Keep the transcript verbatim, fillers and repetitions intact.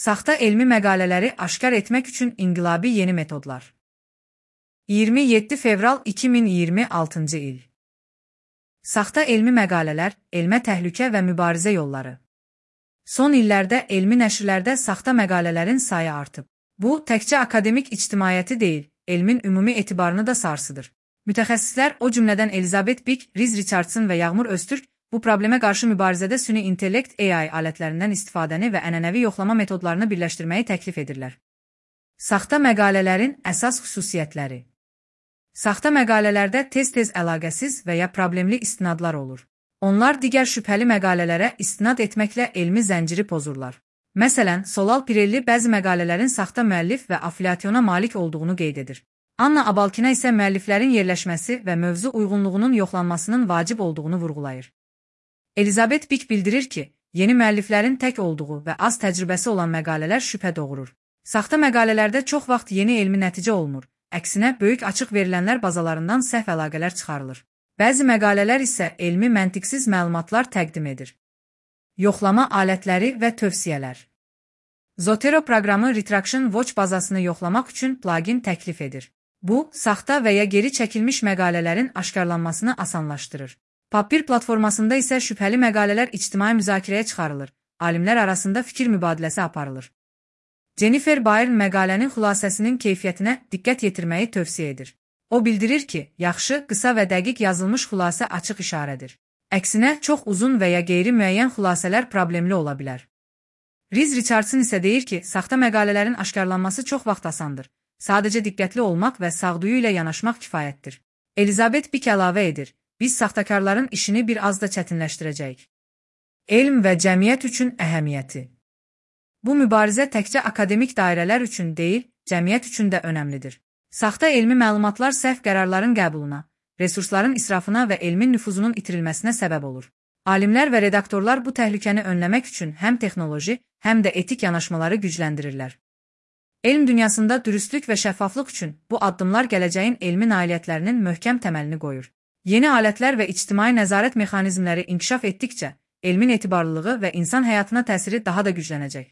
Saxta elmi məqalələri aşkar etmək üçün inqilabi yeni metodlar. iyirmi yeddi fevral iki min iyirmi altıncı il. Saxta elmi məqalələr, elmə təhlükə və mübarizə yolları. Son illərdə elmi nəşrlərdə saxta məqalələrin sayı artıb. Bu, təkcə akademik ictimaiyyəti deyil, elmin ümumi etibarını da sarsıdır. Mütəxəssislər, o cümlədən Elizabeth Bick, Riz Richardson və Yağmur Öztürk, bu problemə qarşı mübarizədə süni intellekt A I alətlərindən istifadəni və ənənəvi yoxlama metodlarını birləşdirməyi təklif edirlər. Saxta məqalələrin əsas xüsusiyyətləri. Saxta məqalələrdə tez-tez əlaqəsiz və ya problemli istinadlar olur. Onlar digər şübhəli məqalələrə istinad etməklə elmi zənciri pozurlar. Məsələn, Solal Pirelli bəzi məqalələrin saxta müəllif və afiliasyona malik olduğunu qeyd edir. Anna Abalkina isə müəlliflərin yerləşməsi və mövzu uyğunluğunun yoxlanmasının vacib olduğunu vurğulayır. Elizabeth Bick bildirir ki, yeni müəlliflərin tək olduğu və az təcrübəsi olan məqalələr şübhə doğurur. Saxta məqalələrdə çox vaxt yeni elmi nəticə olmur, əksinə böyük açıq verilənlər bazalarından səhv əlaqələr çıxarılır. Bəzi məqalələr isə elmi məntiqsiz məlumatlar təqdim edir. Yoxlama alətləri və tövsiyələr. Zotero proqramı Retraction Watch bazasını yoxlamaq üçün plugin təklif edir. Bu, saxta və ya geri çəkilmiş məqalələrin aşkarlanmasını asanlaşdırır. Papir platformasında isə şübhəli məqalələr ictimai müzakirəyə çıxarılır, alimlər arasında fikir mübadiləsi aparılır. Jennifer Byrne məqalənin xülasəsinin keyfiyyətinə diqqət yetirməyi tövsiyə edir. O bildirir ki, yaxşı, qısa və dəqiq yazılmış xülasə açıq işarədir. Əksinə, çox uzun və ya qeyri-müəyyən xülasələr problemli ola bilər. Riz Richardson isə deyir ki, saxta məqalələrin aşkarlanması çox vaxt asandır. Sadəcə diqqətli olmaq və sağduyu ilə yanaşmaq kifayətdir. Elizabeth Bick əlavə edir, biz saxtakarların işini bir az da çətinləşdirəcəyik. Elm və cəmiyyət üçün əhəmiyyəti. Bu mübarizə təkcə akademik dairələr üçün deyil, cəmiyyət üçün də önəmlidir. Saxta elmi məlumatlar səhv qərarların qəbuluna, resursların israfına və elmin nüfuzunun itirilməsinə səbəb olur. Alimlər və redaktorlar bu təhlükəni önləmək üçün həm texnoloji, həm də etik yanaşmaları gücləndirirlər. Elm dünyasında dürüstlük və şəffaflıq üçün bu addımlar gələcəyin elmi nailiyyətlərinin möhkəm təməlini qoyur. Yeni alətlər və ictimai nəzarət mexanizmləri inkişaf etdikcə, elmin etibarlılığı və insan həyatına təsiri daha da güclənəcək.